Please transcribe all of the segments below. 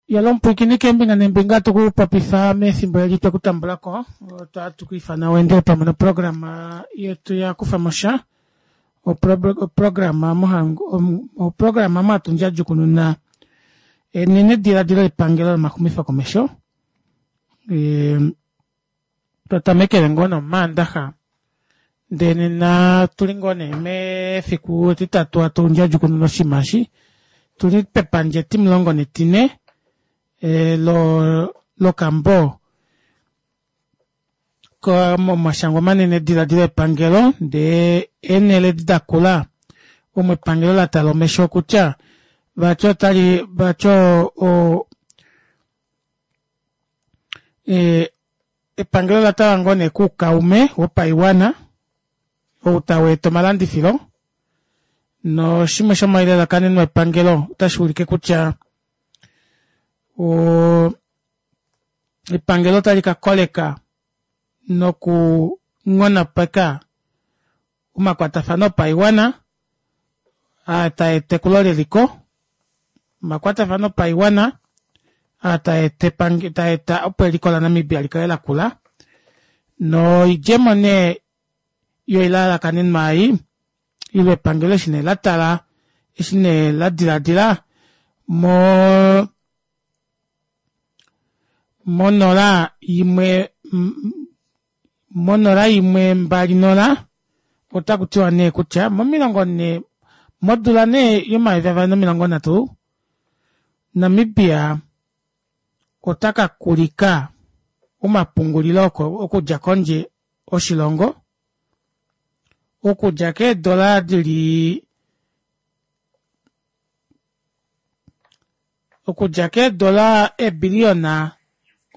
Yalo mupwiikini keembinga neembinga tukupopifa mefimbo eli twekutambulako otatu kwiifana weendele pamwe noprograma yetu ya kufamosha oprograma oprograma omo hatu ndjadjukununa enenediladilo lepangelo lomaxumifo komesho twa tamekele ngoo nomaandaxa ndee nena tuli ngoo nee mefiku etitatu hatu ndjadjukununa oshinima eshi tuli pepandja etimulongo netine lokambo momashangwa manene diladilo epangelo ndee eenhele edi dakula omo epangelo latala omesho kutya vati otali vati o epangelo ola tala ngoo nee kuukaume wopaiwana ou tau eta omalandifilo noshimwe shomoilalakanenwa yepangelo otashi ulike kutya epangelo otali ka koleka noku nghonopeka omakwatafano opaiwana aa taa eta ekulo leliko omakwatafano opaiwana aa taa eta opo eliko laNamibia likale lakula noidjemo nee yoilalakanenwa ei ile epangelo eshi nee latala eshi nee ladilaadila mo monola imwe monola imwe mbali nola otaku tiwa nee kutya momilongo nhee modula nee yomayovi avali nomilongo nhatu Namibia ota ka kulika omapungulilo okudja kondje oshilongo okudja keedola dili okudja keedola eebiliyona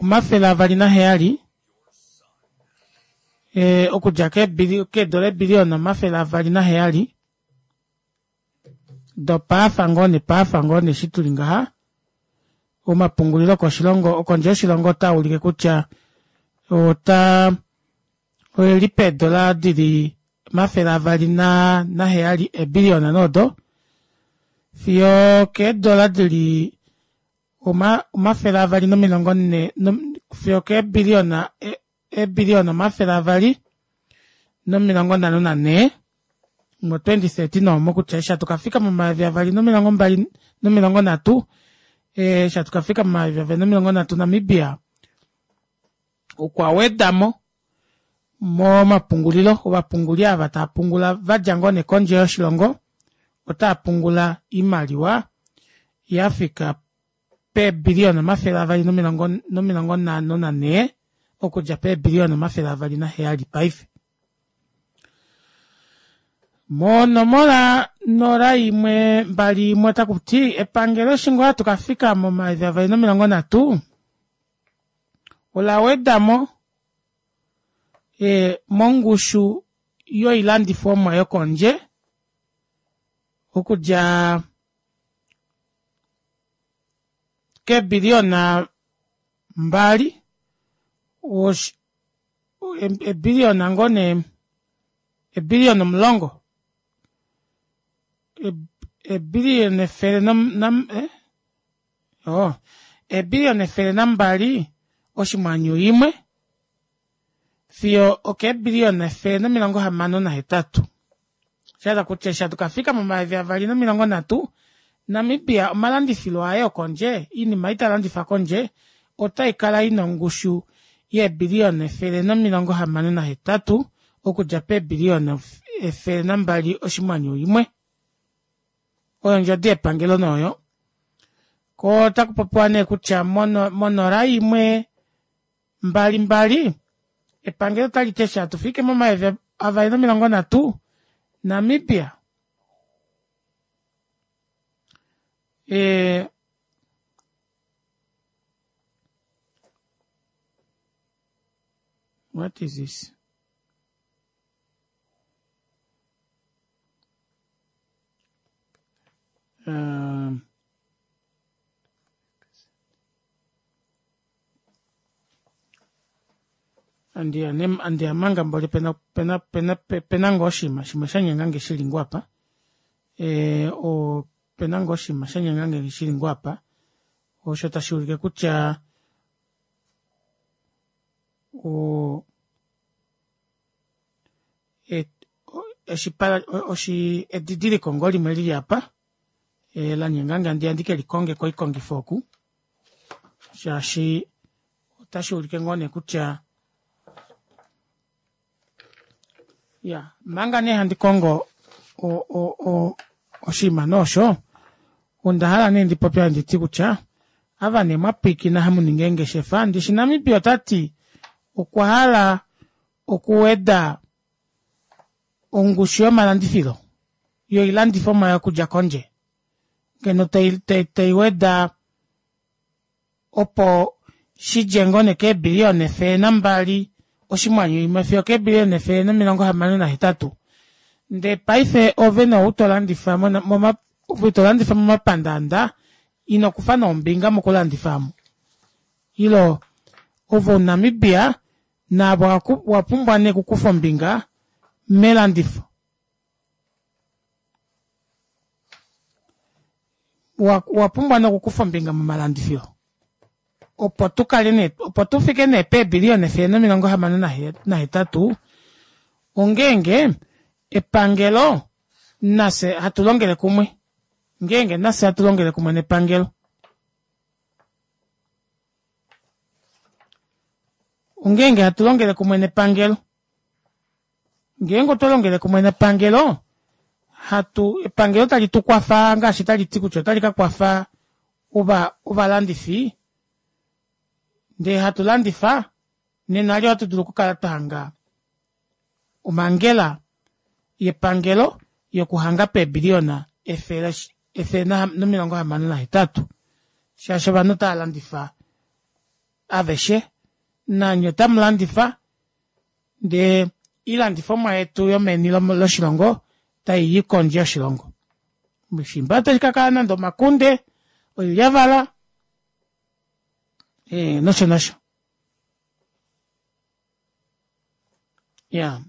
207 okudja keedola eebiliyona 207 dopaafa ngoo nepaafa ngoo nee eshi tuli ngaha omapungulilo okoshilongo okondje yoshilongo otaa ulike kutya ota oeli peedola dili 207 eebiliyona noodo fiyo keedola dili 240 fiyo keebiliyona eebiliyona 254 mo 2013 omo kutya eshi hatu kafika momayovi avali nomilongo mbali nomilongo nhatu eshi hatu kafika momayovi avali nomilongo nhatu Namibia okwa wedamo momapungulilo ovapunguli ava tava pungula vadja ngoo nee kondje yoshilongo otava pungula oimaliwa yafika peebiliyona 254 okudja peebiliyona 207 paife. Monomola 0121 otaku ti epangelo eshi ngoo hatu kafika momayovi avali nomilongo nhatu ola wedamo mongushu yoilandifomwa yokondje okudja keebiliyona mbali ebiliyona ngoo nee ebiliyona omulongo ebiliyona efele oh ebiliyona efele nambali oshimwanyu imwe fiyo okeebiliyona efele nomilongo hamano nahetatu shahala kutya eshi hatu kafika momayovi avali nomilongo nhatu Namibia omalandifilo aye okondje oinima ei talandifa kondje otai kala ina ongushu yeebiliyona efele nomilongo hamano nahetatu okudja peebiliyona efele nambali oshimwanyu imwe oyo ondjodi yepangelo nooyo ko otaku popiwa nee kutya monola imwe mbali mbali epangelo otali ti eshi hatu fike momayovi avali nomilongo nhatu Namibia e, what is this um, andiyamanga mboli pena pena pena pena ngoo oshinima shimwe sha nyenga nge shili ngoo apa opena ngoo oshinima sha nyenga nge shili ngoo apa. Osho tashi ulike kutya o oshi edidiliko ngoo limwe lili apa e, la nyenga nge andiya ndi ke likonge koikongifo oku shaashi otashi ulike ngoo nee kutya ya manga nee handi kongo oshinima nee osho onda hala nee ndi popye handi ti kutya ava nee mwa pwiikina hamu ningi eengeshefa ndishi Namibia ota ti okwa hala okuweda ongushu yomalandifilo yoilandifomwa yokudja kondje ngeno tai weda opo shi dje ngoo nee keebiliyona 102 oshinghwanyu imwe fiyo okeebiliyona 168. Ndee paife ove nee ou to landifa ove to landifa momapandaanda ino kufa nee ombinga mokulandifa omu. Ilo ove omuNamibia naave owa pumbwa nee okukufa ombinga melandifo. Owa pumbwa nee okukufa ombinga momalandifilo opo tu kale nee opo tu fike nee peebiliyona 168 ongeenge epangelo nafye hatu longele kumwe ngeenge nafye hatu longele kumwe nepangelo. Ongeenge hatu longele kumwe nepangelo. Ngeenge otwa longele kumwe nepangelo, hatu epangelo tali tu kwafa ngaashi tali ti kutya otali ka kwafa ova ovalandifi ndee hatu landifa, nena li ohatu dulu okukala twa hanga omhangela yepangelo yokuhanga peebiliyona 168 shaashi ovanhu otava landifa aveshe nanye otamu landifa ndee ilandifomwa yetu yomeni loshilongo tai yi kondje yoshilongo. Shimba otashi ka kala nande omakunde, oilyavala e, nosho nosho. Ya.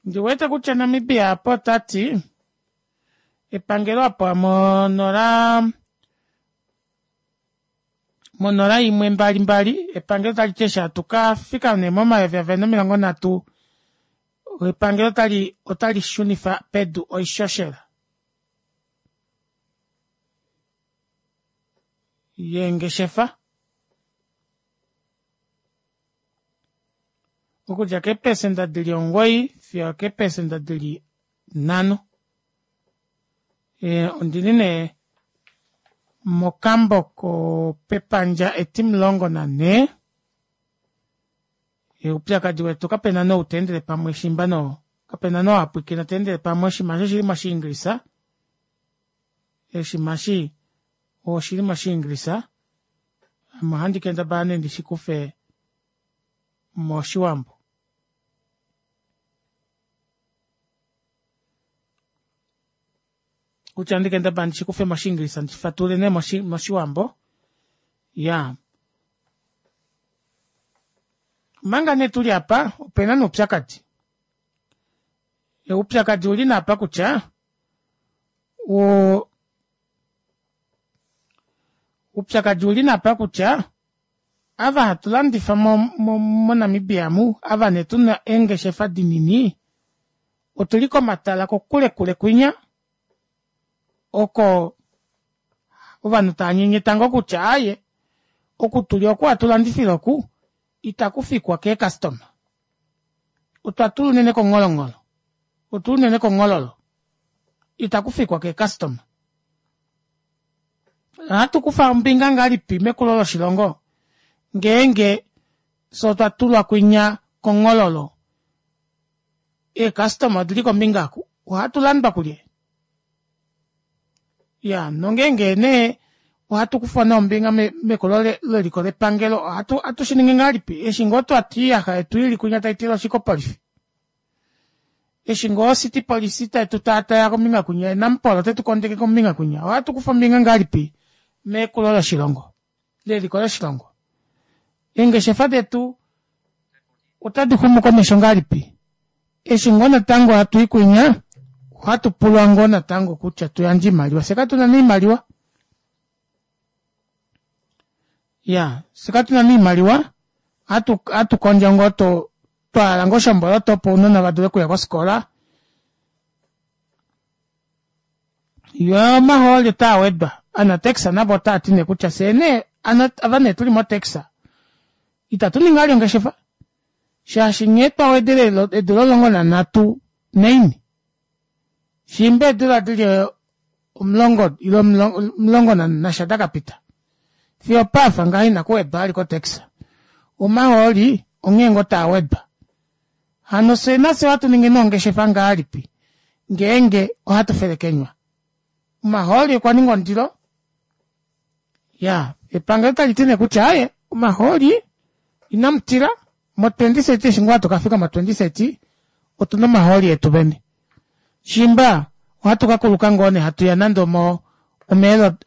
Ndi wete kutya Namibia apa ota ti epangelo apa monola monola imwe mbali mbali epangelo tali ti eshi hatu ka fika nee momayovi avali nomilongo nhatu epangelo tali otali shunifa pedu oishoshela yeengeshefa okudja keepesenda di li omugoyi fiyo okeepesenda di li nhano. Ondi li nee mokambo kopepandja etimulongo nanhee. Oupyakadi wetu kape na nou ta endele pamwe shimba no kape na nou a pwiikina ta endele pamwe oshinima eshi oshili moshiingilisa. Oshinima eshi oshili moshiingilisa. Ame ohandi kendabala nee ndi shi kufe mOshiwambo. Kutya ndi kendabala ndi shi kufe mOshiingilisa ndi fatulule nee mOshiwambo. Ya. Omanga nee tu li apa, ope na nee oupyakadi. Oupyakadi uli nee apa kutya, o, oupyakadi uli nee apa kutya, Ava hatu landifa moNamibia mu, ava nee tu na eengeshefa dinini, otu li komatala kokule kule kwinya, oko ovanhu tava nyenyeta ngoo kutya aaye, oku tuli oku hatu landifile oku, itaku fikwa keekastoma. Otwa tula unene kongholongholo, otuli unene konghololo, itaku fikwa keekastoma. Ohatu kufa ombinga ngahelipi mekulo loshilongo ngeenge fye otwa tulwa kwinya konghololo? Eekastoma odili kombinga oku, ohatu landwa kulye? Ya, nongeenge nee ohatu kufa nee ombinga mekulo leliko lepangelo, ohatu shi ningi ngahelipi eshi ngoo twa ti oiyaxa yetu ili kwinya tai tileshi kopolifi? Eshi ngoo city police tai tu taataya kombinga kwinya ye Nampol ote tu kondeke kombinga kwinya, ohatu kufa ombinga ngahelipi mekulo loshilongo, leliko loshilongo? Eengeshefa detu otadi xumu komesho ngahelipi? Eshi ngoo natango hatu i kwinya, ohatu pulwa ngoo natango kutya tu yandje oimaliwa. Fye katu na nee oimaliwa. Ya, fye katu na nee oimaliwa, ohatu ohatu kondjo ngoo to twa hala ngoo oshomboloto opo ounona va dule okuya kofikola. Yo omahooli otaa wedwa. Anatex navo otaa ti nee kutya fyee nee ava nee tuli motex itatu ningi vali ongeshefa shaashi nghee twa wedele eedula 13 naini shiimba eedula dili omulongo ile omulongo nasha dakapita fiyo opafa ngaha inaku wedwa vali kotax. Omahooli onghee ngoo taa wedwa. Hano fye nafye ohatu ningi nee ongeshefa ngahelipi ngeenge ohatu felekenywa? Omahooli okwa ninga ondilo. Ya, epangelo tali ti nee kutya aye omahooli inamu tila mo 2030 eshi ngoo hatu ka fika mo 2030 otuna omahooli etu vene. Shimba ohatu ka kuluka ngoo nee hatu ya nande omo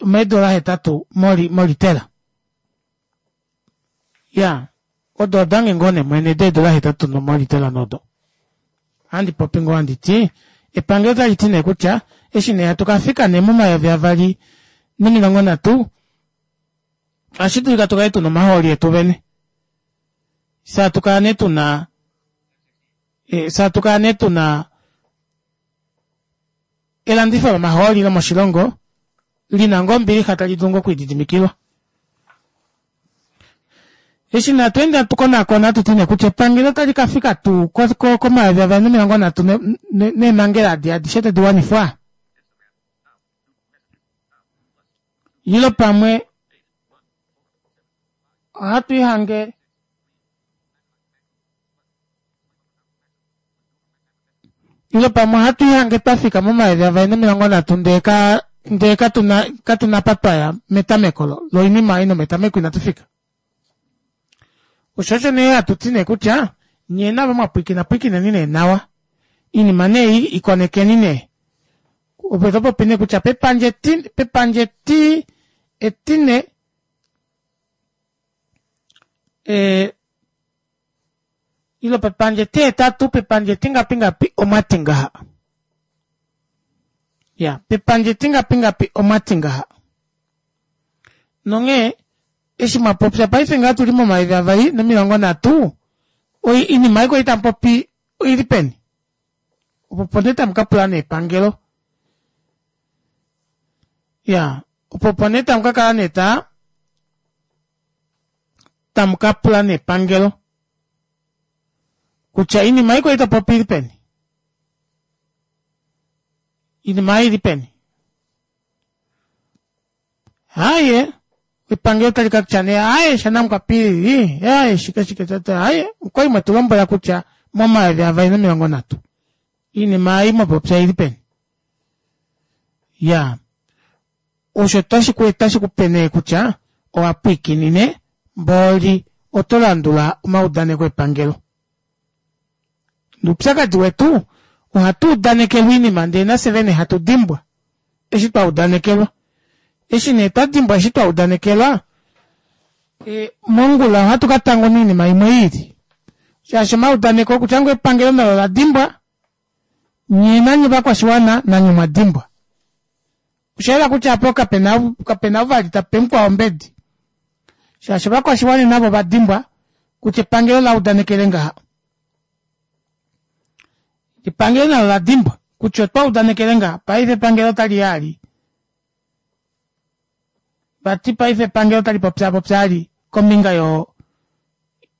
omeedola hetatu molitela. Ya, odo odange ngoo nee mwene deedola hetatu nomolitela nodo. Ohandi popi ngoo handi ti, epangelo otali ti nee kutya eshi nee hatu ka fika nee momayovi avali nomilongo nhatu, ohashi dulika tu kale tuna omahooli etu vene. Fye hatu kala nee tuna, fye hatu kala nee tuna elandifo lomahooli lomoshilongo li na ngoo ombilixa tali dulu ngoo okulididimikilwa. Eshi natu ende hatu konakona hatu ti nee kutya epangelo otali ka fika tuu komayovi avali nomilongo nhatu neemhangela adi adishe tadi wanifwa? Ile pamwe ohatu ihange Ile pamwe ohatu ihange twa fika momayovi avali nomilongo nhatu ndee ka ndee katu na katu na pa twaya metameko lo loinima ei nometameko inatu fika. Osho osho nee hatu ti nee kutya nyee navo mwa pwiikina pwiikineni nee nawa. Iinima nee ei ikonekeni nee. Opo to popi nee kutya pepandja eti pepandja eti etine ee Ile pepandja etihetatu, pepandja etingapi ngapi omwa ti ngaha. Ya, pepandja etingapi ngapi omwa ti ngaha. Nonghee, eshi mwa popya paife ngaha tu li momayovi avali nomilongo nhatu, oinima ei kwali tamu popi oi li peni? Opo opo nee tamu ka pula nee epangelo. Ya, opo opo nee tamu ka kala nee taa tamu ka pula nepangelo kutya iinima ei kwali to popi ili peni? Iinima ei ili peni? Haye, epangelo tali ka tya nee aye shanamukwapilili, aye shike shike tata, aye, okwali mwetu lombwela kutya momayovi avali nomilongo nhatu. Iinima ei mwa popya ili peni? Ya. Osho otashi ku otashi ku pe nee kutya owa pwiikinine mbooli oto landula omaudaneko epangelo. Nuupyakadi wetu ohatu udanekelwa iinima ndee nafye vene hatu dimbwa eshi twa udanekelwa. Eshi nee twa dimbwa eshi twa udanekelwa e, mongula ohatu ka tanguna oinima imwe iili. Shaashi omaudaneko kutya ngoo epangelo nalo la dimbwa, nye nanye ovakwashiwana nanye omwa dimbwa. Osha yela kutya apo kapena kapena vali ta pe mukwao ombedi. Shaashi ovakwashiwana navo ova dimbwa kutya epangelo la udanekele ngaha. Epangelo nalo la dimbwa kutya otwa udanekele ngaha. Paife epangelo otali ya ali. Vati paife epangelo otali popya ali kombinga yo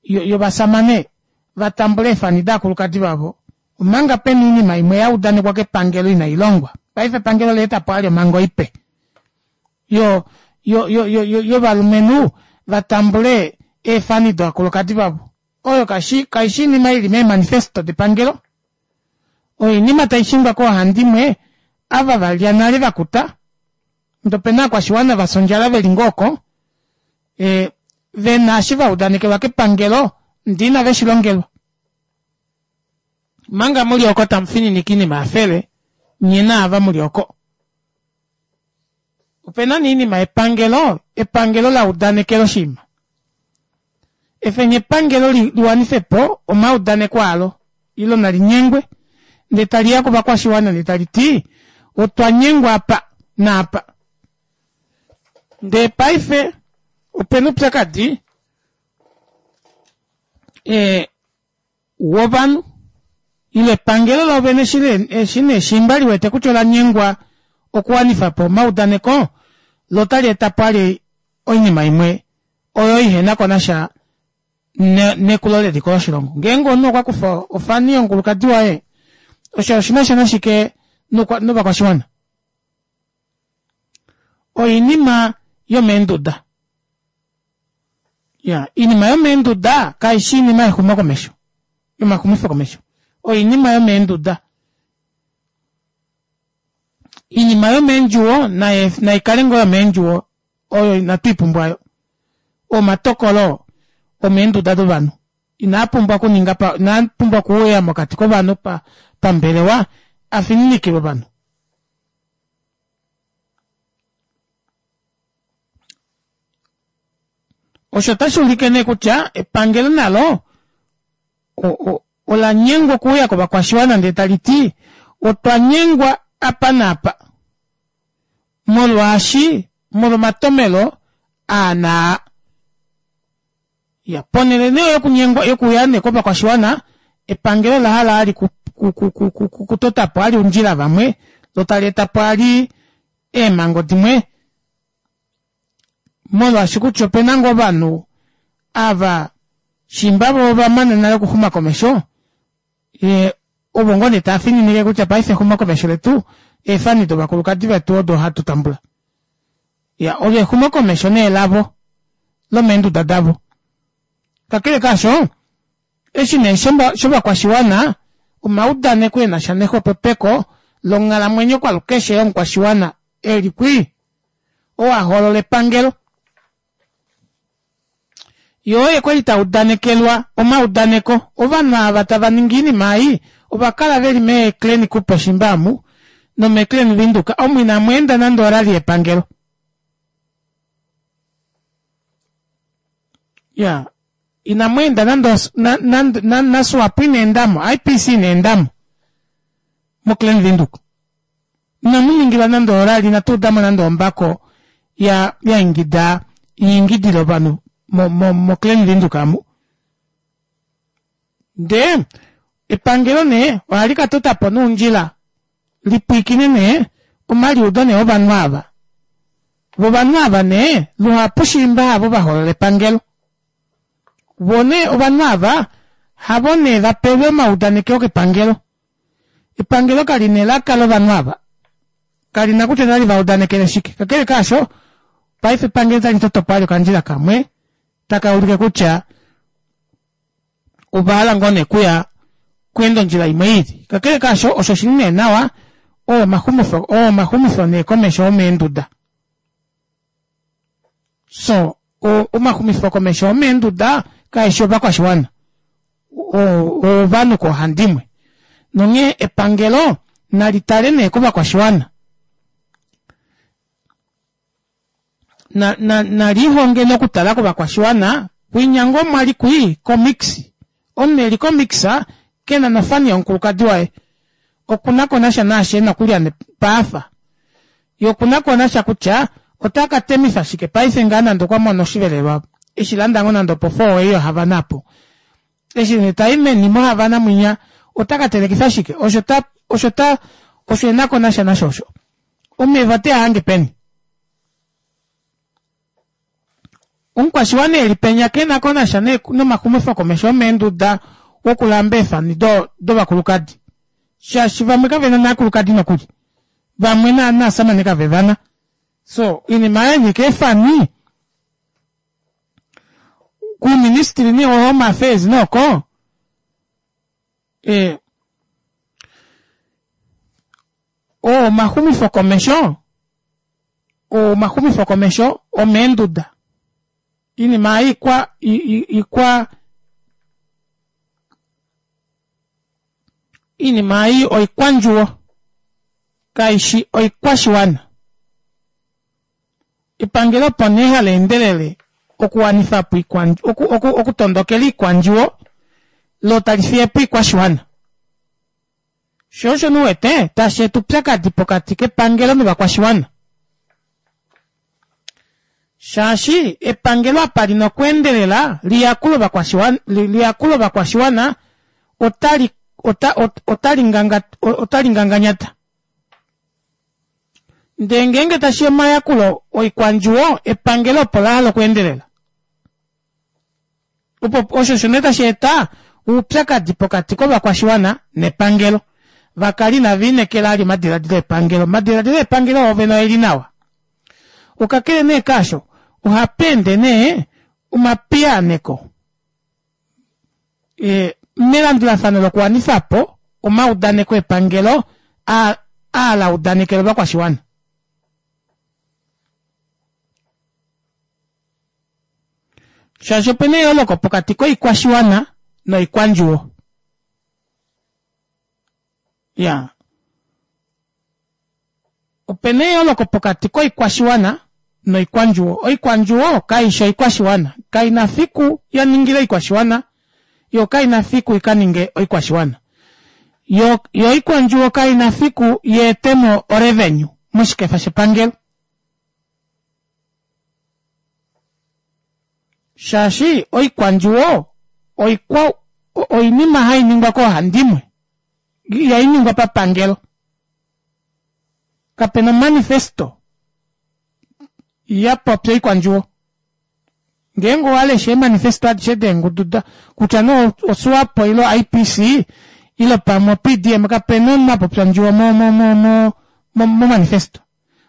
yovasamane va tambula eefani daakulukadi vavo omanga pena oinima imwe ya udanekwa kepangelo inai longwa. Paife epangelo ola eta po ali omhango ipe yo yo yo yo yovalumenhu va tambule eefani dovakulukadi vavo. Oyo kashi kaishi iinima ili meemanifesto depangelo. Oinima tai shingwa koohandimwe ava va lya nale va kuta, ndee opena aakwashiwana va fya ondjala veli ngoo oko, e, ve na eshi va udanekelwa kepangelo ndee inave shi longelwa. Manga muli oko tamu fininike iinima ya fele, nye naava muli oko. Opena nee iinima yepangelo, epangelo la udanekela oshinima. Efeni epangelo li, li wanife po omaudaneko alo. Ile nali nyengwe ndee tali ya kovakwashiwana ndee tali ti otwa nyengwa apa naapa. Ndee paife opena oupyakadi ee wovanhu ile epangelo loovene eshi nee shimba liwete kutya ola nyengwa okuwanifa po omaudaneko lo otali eta po ali oinima imwe oyo ihena ko nasha nekulo leliko loshilongo. Ngeenge omunhu okwa kufa ofani yomukulukadi waye, osho oshi na sha nashike novakwashiwana? Oinima yomeenduda. Ya, iinima yomeenduda kai shi iinima yexumokomesho, yomaxumifokomesho. Oinima yomeenduda. Iinima yomeendjuwo nai kale ngoo yomeendjuwo oyo inatu i pumbwa yo. Omatokolo omeenduda dovanhu inaa pumbwa okuninga pa, inaa pumbwa okuuya mokati kovanhu pa, pambelewa a fininikilwe ovanhu. Osho otashi ulike nee kutya epangelo nalo ola nyengwa okuuya kovakwashiwana ndee tali ti otwa nyengwa apa naapa molwaashi molwomatomelo aa naa. Ya, ponhele nee yokunyengwa yokuya nee kovakwashiwana, epangelo ola hala ali kutota po ali oundjila vamwe lo tali eta po ali eemhango dimwe molwaashi kutya opena ngoo ovanhu ava shimba vo ova mana nale okuxuma komesho ye ovo ngoo nee tava fininike kutya paife exumokomesho letu eefani dovakulukadi vetu odo hatu tambula. Ya, olo exumokomesho nee lavo lomeenduda davo. Kakele kaasho, eshi nee shovakwashiwana, omaudaneko e na sha nexwepopeko longhalamwenyo kwalukeshe yomukwashiwana e li kwii, oo a hoolola epangelo. Ye oye kwali ta udanekelwa omaudaneko. Ovanhu ava tava ningi oinima ei ova kala veli mee Klein Cooper shimba amu nomee Klein Windhoek omu inamu enda nande orally yepangelo. Ya, inamu enda nande na, na Swapo ina endamo, IPC ina endamo mo Klein Windhoek. Inamu ningilwa nande orali, inatu udamo nande ombako ya, ya ingida, ya ingidile ovanhu mo, mo, mo Klein Windhoek amu. Ndee, epangelo nee, ohali ka tota po noundjila lipwiikine nee omaliudo nee ovanhu ava. Vo ovanhu ava nee, luhapu shiimba havo va holola epangelo. Vo nee ovanhu ava, havo nee va pelwe omaudanekeo kepangelo. Epangelo kali na elaka lovanhu ava. Kali na kutya otali va udanekele shike. Kakele kaasho, paife epangelo otali toto po vali okandjila kamwe taka ulike kutya ova hala ngoo nee kuya kuenda ondjila imwe i lili. Kakele kaasho, osho shi li nee nawa, oo omaxumifo, oo omaxumifo nee komesho omeenduda. So, omaxumifo komesho omeenduda kaeshi ovakwashiwana, ovanhu koohandimwe. Nonghee epangelo nali tale nee kovakwashiwana. Na, na, nalihonge nokutala kovakwashiwana, kwinya ngoo mwali kwii komix. Omunhu eli komix kena nofani yomukulukadi waye. Okuna ko nasha naashi ena okulya nepaafa. Ye okuna ko nasha kutya ota ka temifa shike paife ngaa nande okwa mono oshivelelwa eshi landa ngoo nande opo four way yoHavana apo. Eshi nee tai meni moHavana mwinya ota ka telekifa shike? Osho ta, osho ta, osho ena ko nasha nasho osho. Omeva ote a hange peni? Omukwashiwana eli penya ke na ko nasha nomaxumifokomesho omeenduda wokulamba eefani dovakulukadi shaashi vamwe kave na naakulukadi nokuli vamwe naasamane kave vana so oinima ya nyika eefani kuuministili nee wo home affairs nooko e, oo omaxumifokomesho oo omaxumifokomesho omeenduda inima ikwa ikwa iinima ei oikwandjuwo kaishi oikwashiwana Epangelo opo nee hali endelele okuwanifa po okutondokela iikwandjuwo lo tali fiye po iikwashiwana. Sho osho nu wete tashi eta upyakadi pokati kepangelo novakwashiwana. Shaashi epangelo apa lina okweendelela liyakule ovakwashiwana, liyakule ovakwashiwana otali ota, otali nganga otali nganganyata. Ndee ngeenge tashi ya omayakulo oikwandjuwo epangelo opo la hala okweendelela. Opo osho osho nee tashi eta oupyakadi pokati kovakwashiwana nepangelo. Vakali inava inekela ali omadiladilo epangelo. Omadiladilo epangelo oovene oeli nawa. Okakele nee kaasho, ohapa ende nee omapiyaaneko e, melandulafano lokuwanifa po omaudaneko epangelo aa aa la udanekela ovakwashiwana. Shaashi opena eyooloko pokati koikwashiwana noikwandjuwo. Ya. Opena eyooloko pokati koikwashiwana noikwandjuwo. Oikwandjuwo kai shi oikwashiwana. Kai na fiku ya ningile oikwashiwana, yo kai na fiku i ka ninge oikwashiwana. Yo, yo oikwandjuwo kai na fiku ye ete mo orevenue moshikefa shepangelo. Shaashi oikwandjuwo oikwa, oinima hai ningwa koohandimwe, ihai ningwa papangelo. Kape na omanifesto ya popya oikwandjuwo. Ngeenge owa lesha eemanifesto adishe deengudu da kutya nee oSwapo ile oIPC ile pamwe oPDM kape na omunhu a popya ondjuwo mo mo mo mo momanifesto.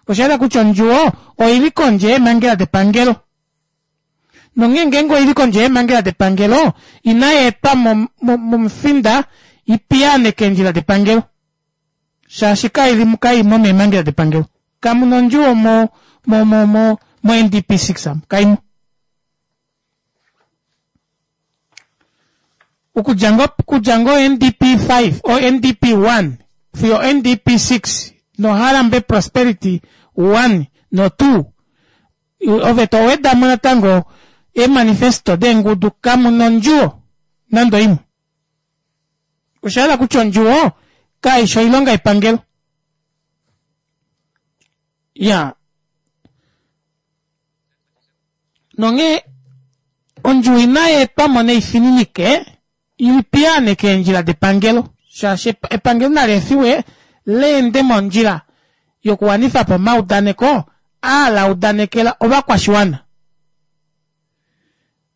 Osha yela kutya ondjuwo oi li kondje yeemhangela depangelo. Nonghee ngeenge oi li kondje yeemhangela depangelo, inai etwa mo momufinda i piyaaneke eendjila depangelo. Shaashi kai li kai mo meemhangela depangelo. Kamu na ondjuwo mo mo mo mo mo NDP 6 amu, kai mo. Okudja ngoo okudja ngoo NDP 5 o NDP 1 fiyo NDP 6 noHarambe Prosperity 1 no 2 ove to weda mo natango eemanifesto deengudu kamu na ondjuwo nande oimwe. Osha yela kutya ondjuwo kai shi oilonga yepangelo. Ya. Nonghee ondjuwo inai etwa mo neifininike i piyaaneke eendjila depangelo, shaashi epangelo nali efiwe le ende mondjila yokuwanifa po omaudaneko aa la udanekela ovakwashiwana.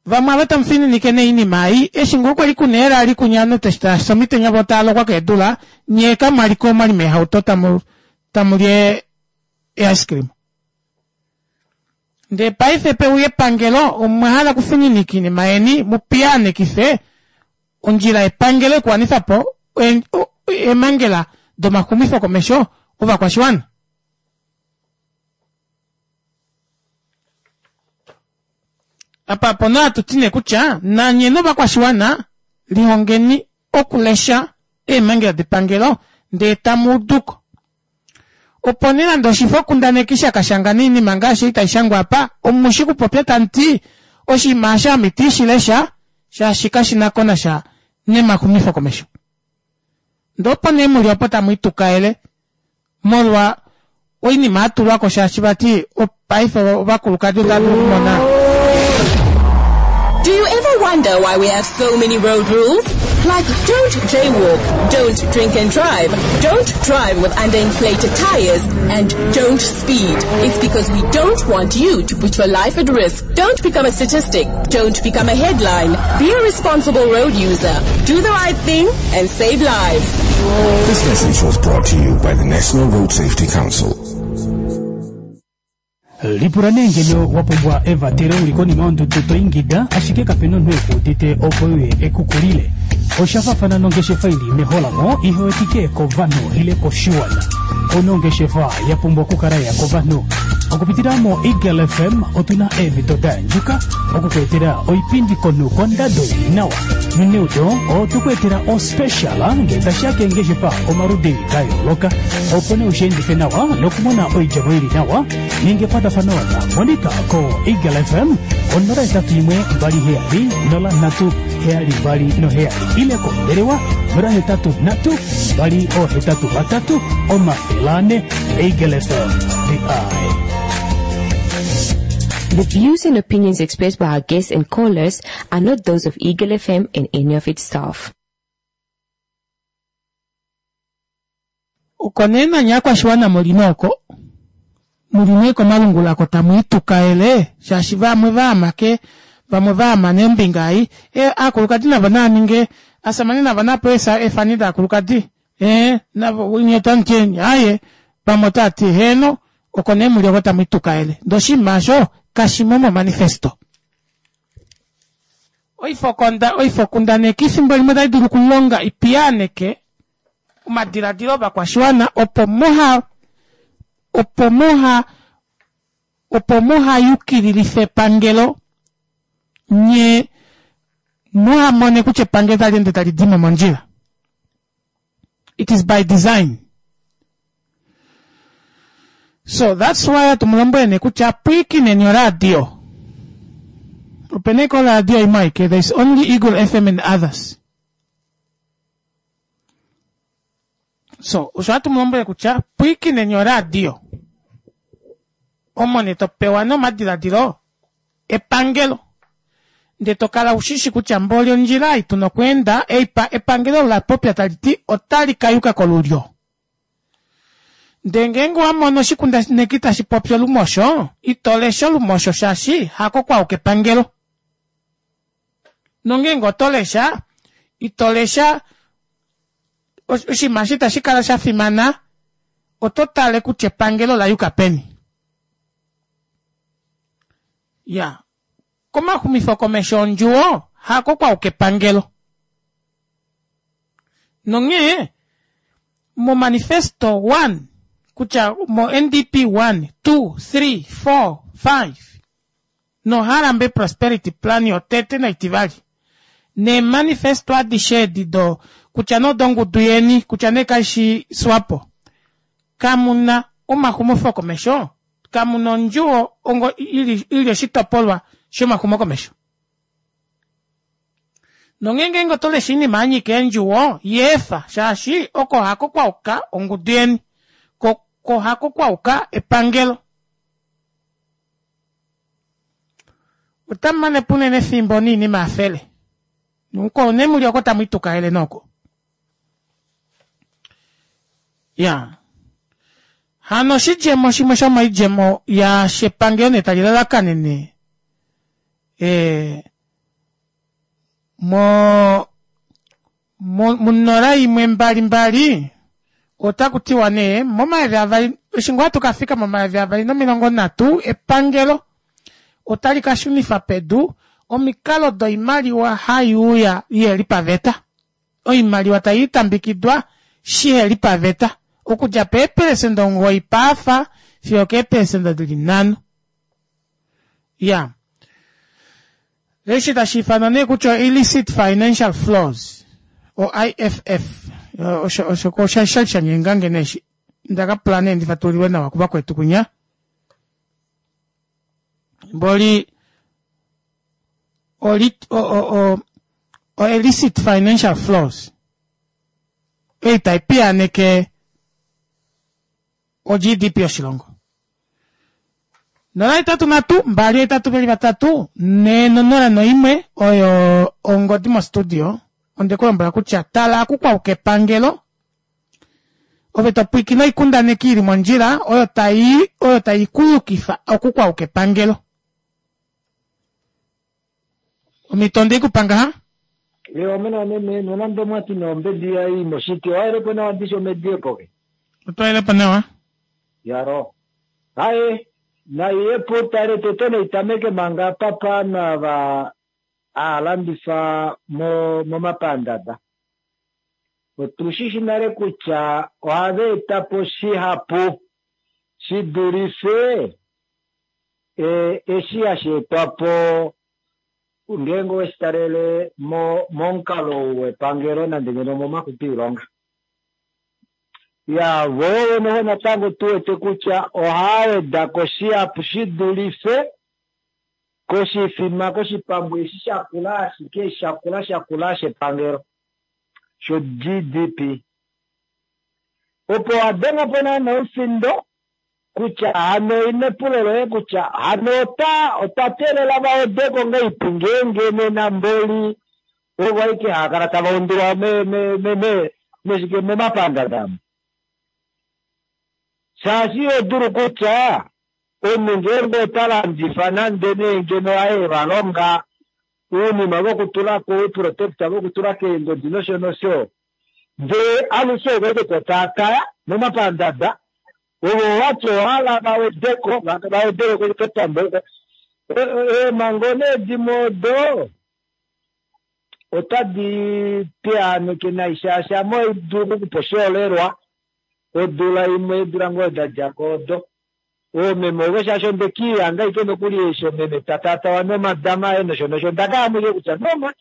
Vamwe ava tamu fininike nee oinima ei, eshi ngoo kwali kuna eelali kunya ovanhu tava fi omitenya voo tava lokwa keedula, nyee kamwali ko omwali meehauto tamu tamu li ee-ice cream. Ndee paife peuya epangelo omwa hala okufininika oinima yeni mu piyaanekife ondjila yepangelo yokuwanifa po eemhangela domaxumifokomesho ovakwashiwana. Apa opo nee hatu ti nee kutya nanye novakwashiwana lihongeni okulesha eemhangela depangelo ndee tamu udu ko. Opo nee nande oshifokundaneki sha ka shanga oinima ngaashi ei tai shangwa apa, omu shi kupopya tamu ti, Oshinima eshi ame iti shi lesha shaashi kashi na ko nasha nemaxumifokomesho. Ndee opo nee mu li opo tamu itukaele molwa oinima ya tulwa ko shaashi vati paife ovakulukadi otava dulu okumona Do you ever wonder why we have so many road rules? Like don't jaywalk, don't drink and drive, don't drive with underinflated tires, and don't speed. It's because we don't want you to put your life at risk. Don't become a statistic. Don't become a headline. Be a responsible road user. Do the right thing and save lives. This message was brought to you by the National Road Safety Council. Lipula nee ngeno wa pumbwa evatelo u li konima yondudu to ingida ashike kape na omunhu e ku udite opo e uye e ku kulile. Osha faafana nongeshefa i li meholamo ihe wetike kovanhu ile koshiwana. Ouna ongeshefa ya pumbwa okukala ya kovanhu. Okupitila moEagle FM otu na eemhito da yandjuka oku ku etela oipindi komunhu kondado i li nawa. Noneudo otwe ku etela ospecial ngee tashi ya keengeshefa omaludi da yooloka. Opo nee u shi endife nawa nokumona oidjemo i li nawa, ninga ekwatafano naMonica koEagle FM 081 270 3. 727 ile kombelewa 083 283 400. Eagle FM, the eye. The views and opinions expressed by our guests and callers are not those of Eagle FM and any of its staff. Oko nee nanye aakwashiwana muli nee oko muli nee komalungula ko tamu itukaele shaashi vamwe vaama ke vamwe vaama nee ombinga ei e aakulukadi navo naa ninge asamane navo napewe eefani daakulukadi ee navo nye otamu ti aaye vamwe otava ti heeno oko nee muli oko tamu itukaele ndee oshinima osho kashimo momanifesto. Oifokonda oifokundaneki efimbo limwe otai dulu okulonga ipiyaaneke omadiladilo ovakwashiwana opo muha opo muha opo muha yukililife epangelo nye muha mone kutya epangelo tali ende tali dimo mondjila. It is by design. So that's why hatu mu lombwele nee kutya pwiikineni oradio. Opena ike oradio imwe aike, there is only Eagle FM and others. So osho hatu mu lombwele kutya pwiikineni oradio. Omo nee to pewa nee omadiladilo epangelo ndee to kala ushishi kutya mboli ondjila ei tuna okweenda ei epangelo ola popya tali ti otali ka yuka kolulyo. Ndee ngeenge owa mono oshikundaneki tashi popi olumosho, ito lesha olumosho shaashi hako kwauka epangelo. Nongeenge oto lesha, ito lesha oshinima eshi itashi kala sha fimana, oto tale kutya epangelo ola yuka peni. Ya, komaxumifokomesho ondjuwo hako kwauka epangelo. Nonghee momanifesto one kutya moNDP 1, 2, 3, 4, 5 noHarambe Prosperity Plan yotete naitivali neemanifesto adishe edi do kutya nee odongudu yeni kutya nee kaishi Swapo kamu na omaxumofokomesho kamu na ondjuwo ongo ili ili oshitopolwa shomaxumokomesho. Nonghee ngeenge oto lesha oinima ya nyika eendjuwo, yeefa, shaashi oko hako kwa uka ongudu yeni. Ko, ko hako kwa uka epangelo. Otamu mane po unene efimbo niinima ya fele. Nuko ne muli oko tamu itukaele noko. Ya. Hano oshidjemo shimwe shomoidjemo yaashi epangelo nee tali lalakanene e, mo munola imwe mbali mbali otaku tiwa nee momayovi avali eshi ngoo hatu ka fika momayovi avali nomilongo nhatu epangelo otali ka shunifa pedu omikalo doimaliwa hai uya iheli paveta oimaliwa tai itambikidwa shiheli paveta okudja peepelesenda omugoyi paafa fiyo okeepelesenda dili nhano Ya. Eshi tashi ifanwa nee kutya illicit financial flows o IFF osho osho ko sha sha sha nyengange nee eshi nda ka pula nee ndi fatulilwe nawa kuvakwetu kunya mboli oli o o o o illicit financial flows ei tai piyaaneke o GDP yoshilongo. 083 282 4 0 1 oyo ongodi mostudio. Onde ku lombwela kutya tala aku kwauka epangelo ove to pwiikine oikundaneki ili mondjila oyo tai oyo tai ku yukifa oku kwauka epangelo. Omhito onde i ku pa ngaha? Ye omena meme nonande omwati nee ombedi ya i moshiti owaelepo nawa ndishi omedi epoke. Otwaelepo nawa. Yaro. Aye, nai yepo tale tete naitameke manga apa paanhu ava haalandifa mo momapandanda. Otu shi shi nale kutya ohava eta po shihapu shi dulife e, eshi hashi etwa po ngeenge owe shi talele mo, momukalo ou wepangelo nande ngeno omomakutu oilonga. Ya, vo vene natango tu wete kutya ohaa weda ko shihapu shi dulife Koshifima koshipambu eshi shakula ashike shakula shakula shepangelo sho-GDP. Opo wa denga po naana omufindo kutya hano ine epulo loye kutya hano ota otwa teelela va wedeko ngaipi ngeenge nena mboli ovo aike hava kala tava undulwa me me me me meshike momapandanda amu. Shaashi iho dulu kutya omunhu ngeenge ota landifa nande nee ngeno aye va longa ounima vokutula ko ouprotector vokutula keengodi nosho nosho ndee alushe ovo aike to taataya momapandanda ovo wati owahala va wedeko va wedeleko kepambo oko. Eemhango nee dimwe odo otadi piyaaneke nai shaashi ame ohai dulu okukupa oshiholelwa odula imwe eedula ngoo da dja ko odo oomeme ovo shaashi onde kiihanga ashike nokuli eshi omeme ta taatawa nomadama aye nosho nosho onda kala mwike kutya no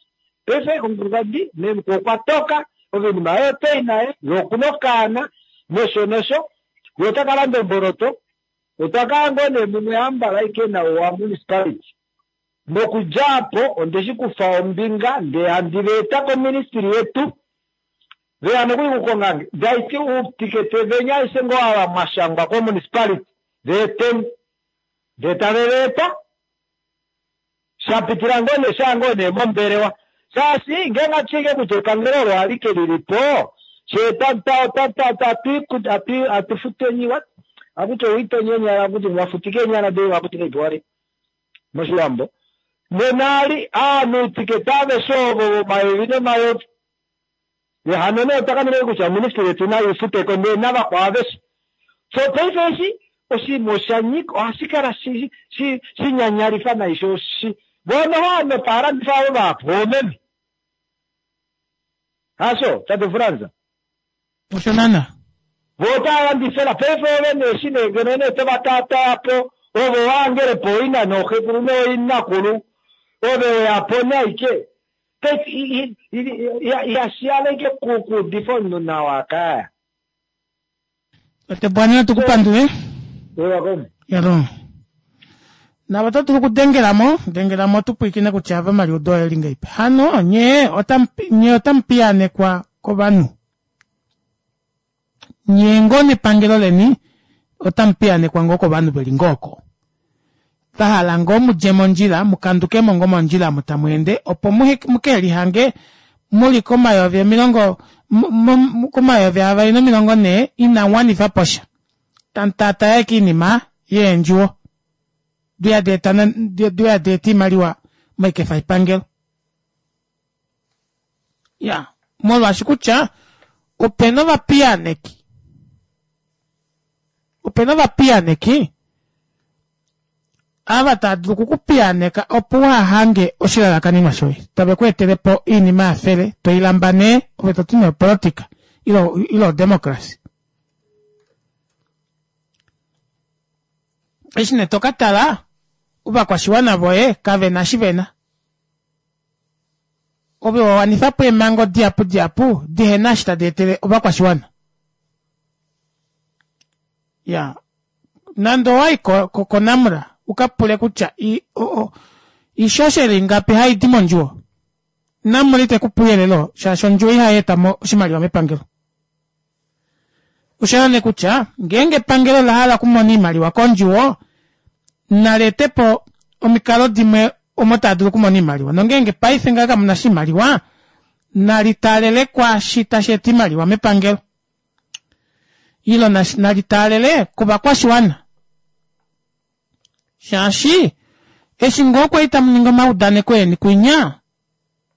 paife omukulukadi memukulu okwa toka ove oinima yoye otoyi naye ye okuna okaana nosho nosho ye ota ka landa omboloto otwa kala ngoo nee mumwe hambala ashike nawo wa municipality nokudja apo onde shi kufa ombinga ndee handi va eta koministry yetu veya nokuli kukongange ndaiti uutikete venya aishe ngoo ava mwashangwa komunicipality veeteni ndee tave va eta shapitila ngoo nee shaa ngoo nee mombelewa shaashi ngeenge atushike kutya epangelo olo alike lilipo shee atufuteni what akuti owitonya eenyala akuti wafutika eenyala doye wakuti ngaipi moshiwambo nena ali aanhu uutikete aveshe ovo vomayovi nomayovi hano nee otwa kanene kutya oministry yetu nayo ifuteko ndee navakwao aveshe so paife eshi oshinima osha nyika ohashi kala shinyanyalifa nai sho shi voo noho ovanhu pahalandifa avo vahapu oomeme hasho tate Fransa Osho naana. Vo otava landifela paife ove nee eshi nee ngeno nee tova taataya po ove wahangele po ina nooxekulu nooinakulu ove weya po nee aike paife ihashi yala ike kuudifa omunhu nawa kaya. Tate Bwani natu ku pandule. Welcome. Yalo. Navo oto dulu okudengela mo, dengela mo tu pwilikine kutya ava omaliudo oye li ngaipi. Hano nye otamu nye otamu piyaanekwa kovanhu. Nye ngoo nepangelo leni otamu piyaanekwa ngoo kovanhu veli ngoo oko. Va hala ngoo mudje mondjila, mu kanduke mo ngoo mondjila omo tamu ende opo muke lihange muli komayovi omilongo komayovi 240 inamu wanifa po sha. Tamu taataya ashike oinima yeendjuwo diya da eta oimaliwa moikefa yepangelo. Ya, molwaashi kutya opena ovapiyaaneki, opena ovapiyaaneki ava tava dulu oku ku piyaaneka opo uha hange oshilalakanenwa shoye, tave ku etele po oinima ya fele, toi lamba nee, ove to ti nee opolotika ile odemocracy. Eshi nee to ka tala, ovakwashiwana voye kave na shi ve na. Ove wa wanifa po eemhango dihapu dihapu dihe na eshi tadi etele ovakwashiwana. Ya, nande owa i koNamra u ka pule kutya oishoshela ingapi hai di mondjuwo, Namra ite ku pe ouyelele oo, shaashi ondjuwo ihai eta mo oshimaliwa mepangelo. Osha yela nee kutya ngeenge epangelo ola hala okumona oimaliwa kondjuwo, nali ete po omikalo dimwe omo taa dulu okumona oimaliwa. Nongeenge paife ngaha kamu na oshimaliwa, nali taalele kwaashi tashi eta oimaliwa mepangelo. Ile nali taalele kovakwashiwana. Shaashi eshi ngoo kwali tamu ningi omaudaneko eni kwinya,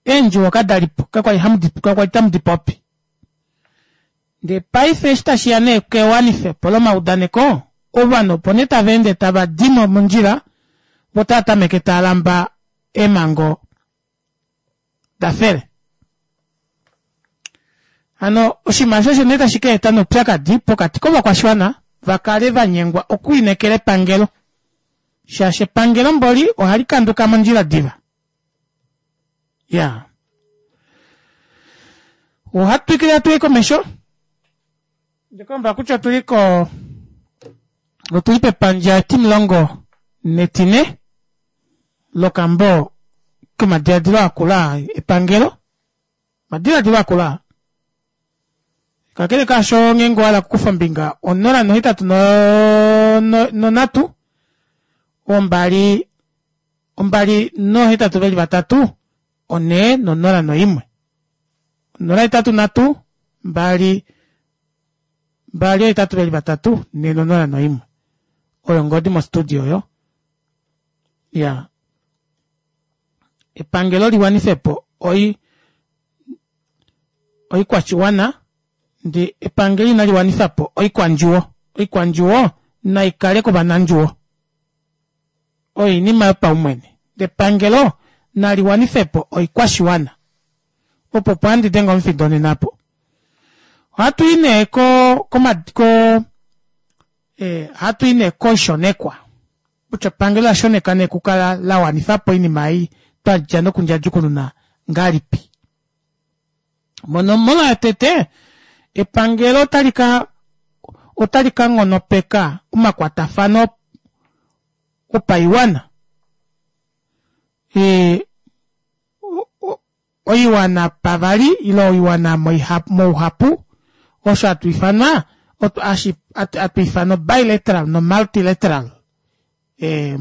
eendjuwo kada li po, kakwali tamu di popi. Ndee paife eshi tashi ya nee kewanifepo lomaudaneko, ovanhu opo nee tava ende tava di mo mondjila, vo tava tameke tava lamba eemhango da fele. Hano oshinima osho osho nee tashi ka eta noupyakadi pokati kovakwashiwana va kale va nyengwa okulinekela epangelo, shaashi epangelo mboli ohali kanduka mondjila diva. Ya. Ohatu twikile hatu i komesho. Ndekomba kutya otu li ko otu li pepandja etimulongo netine. lokambo komadiladilo akula epangelo omadiladilo akula kakele kaasho ngeenge owa hala okukufa ombinga onola nohetatu nonhatu ombali ombali nohetatu veli vatatu onhee nonola noimwe onola hetatu nhatu mbali mbali ohetatu veli vatatu nhee nonola noimwe oyo ongodi mostudio oyo ya epangelo liwanife po oi oikwashiwana ndee epangelo inali wanifa po oikwandjuwo oikwandjuwo nai kale kovanandjuwo oyo oinima yopaumwene ndee epangelo nali wanife po oikwashiwana opo opo handi denge omufindo nena apo ohatu i nee ko ko eh, ohatu i nee koishonekwa kutya epangelo la shoneka nee kukala la wanifa po oinima ei twa dja nokundjadjukununa ngahelipi. Monomola yotete, epangelo otali ka otali ka nghonopeka omakwatafano opaiwana e, oiwana pavali ile oiwana mouhapu osho hatu ifanwa hatu ifana bilateral no multilateral eh,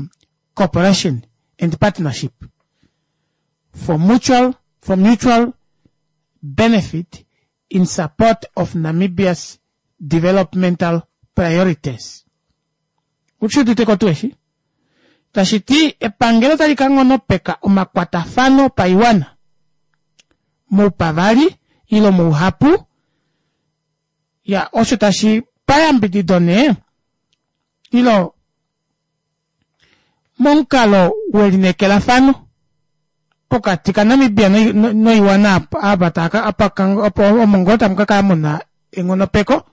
cooperation and partnership for mutual, for mutual benefit in support of Namibia's developmental priorities. Ushi udite ko tuu eshi? Tashi ti epangelo tali ka nghonopeka omakwatafano opaiwana moupavali ile mouhapu ya osho tashi payambidido nee ilo momukalo welinekelafano pokati kaNamibia noiwana apa opo omo ngoo tamu ka kala mu na enghonopeko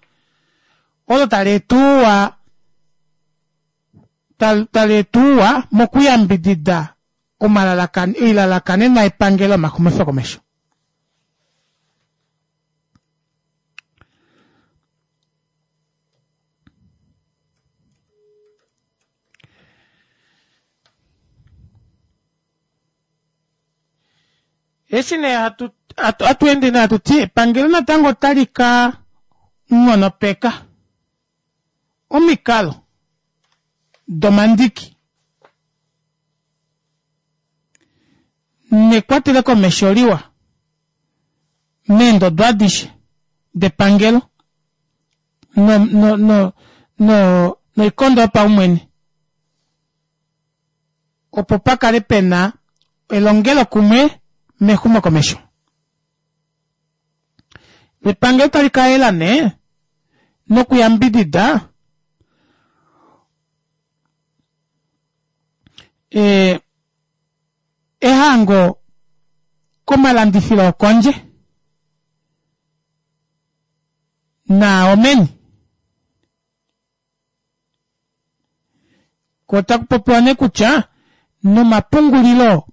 olo tali eta ouwa tali eta ouwa mokuyambidida oilalakanenwa yepangelo yomaxumifokomesho. Eshi nee hatu hatu ende nee hatu ti epangelo natango otali ka nghonopeka omikalo domandiki nekwatele komesho liwa meendodo adishe depangelo no, no, no, no, noikondo yopaumwene opo pa kale pe na elongelokumwe mexumokomesho. Epangelo tali ka yela nee nokuyambidida e, ehango komalandifilo okondje naao meni. Ko otaku popiwa nee kutya nomapungulilo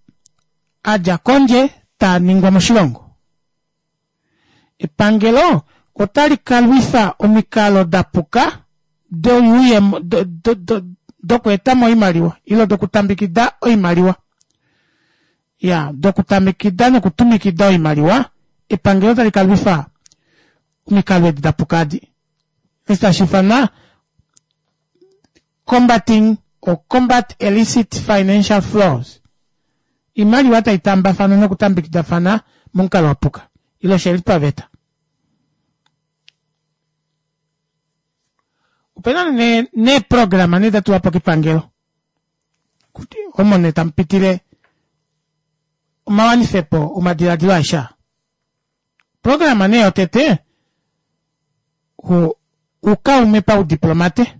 a dja kondje taa ningwa moshilongo. Epangelo otali ka lwifa omikalo da puka doyuuyemo dokweeta mo oimaliwa ile dokutambikida oimaliwa. Ya, dokutambikida nokutumikida oimaliwa, epangelo otali ka lwifa omikalo edi da puka adi. Eshi tashi ifanwa Combating or Combat Illicit Financial Flows. Oimaliwa tai tambafana nokutambikidafana momukalo wa puka ile sheli paveta. Opena nee neeprograma nee da tulwa po kepangelo omo nee tamu pitile omawanifepo omadiladilo aeshe aa. Oprograma nee yotete oukaume paudiplomate.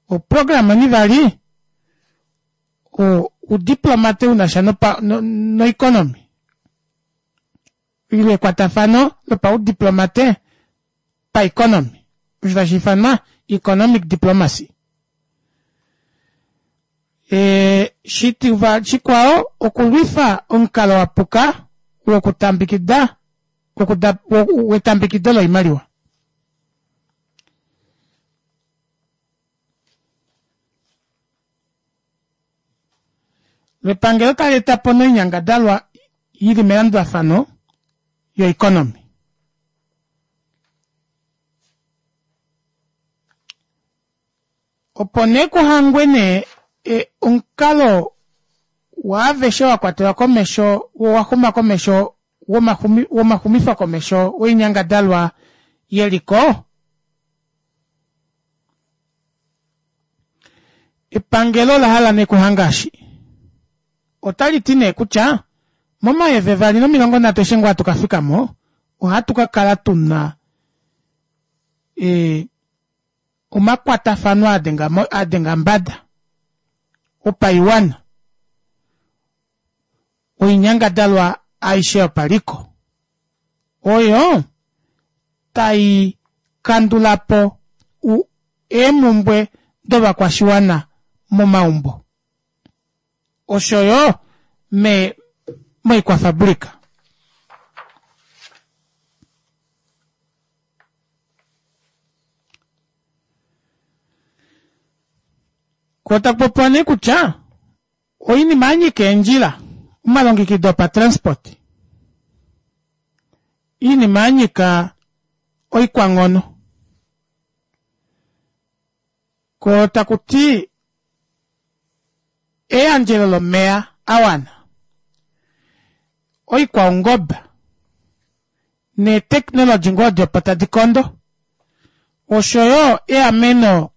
Oprograma onivali oudiplomate u na sha noikonomi ile ekwatafano lopaudiplomate paeconomy osho tashi ifanwa economic diplomacy. E, shikwao okulwifa omukalo wa puka wokutambikida wetambikido loimaliwa. Lepangelo tali eta po noinyangadalwa i li melandulafano yoikonomi. Opo nee kuhangwe nee e, omukalo waaveshe wa kwatelwa komesho wo wa xuma komesho womaxumifokomesho woinyangadalwa yeliko, epangelo ola hala nee kuhanga eshi. Otali ti nee kutya momayeve 2030 eshi ngoo hatu ka fika mo, ohatu ka kala tu na e, omakwatafano a denga mbada opaiwana oinyangadalwa aishe yopaliko oyo tai kandula po eemhumbwe dovakwashiwana momaumbo osho yo me moikwafabulika. Ko taku popiwa nee kutya oinima ya nyika eendjila, omalongekido opatransport, iinima ya nyika oikwanghono, ko taku ti eyandjelo lomeya a wana, oikwaungoba neeteknologi ngoo odi opo tadi kondo, osho yo eameno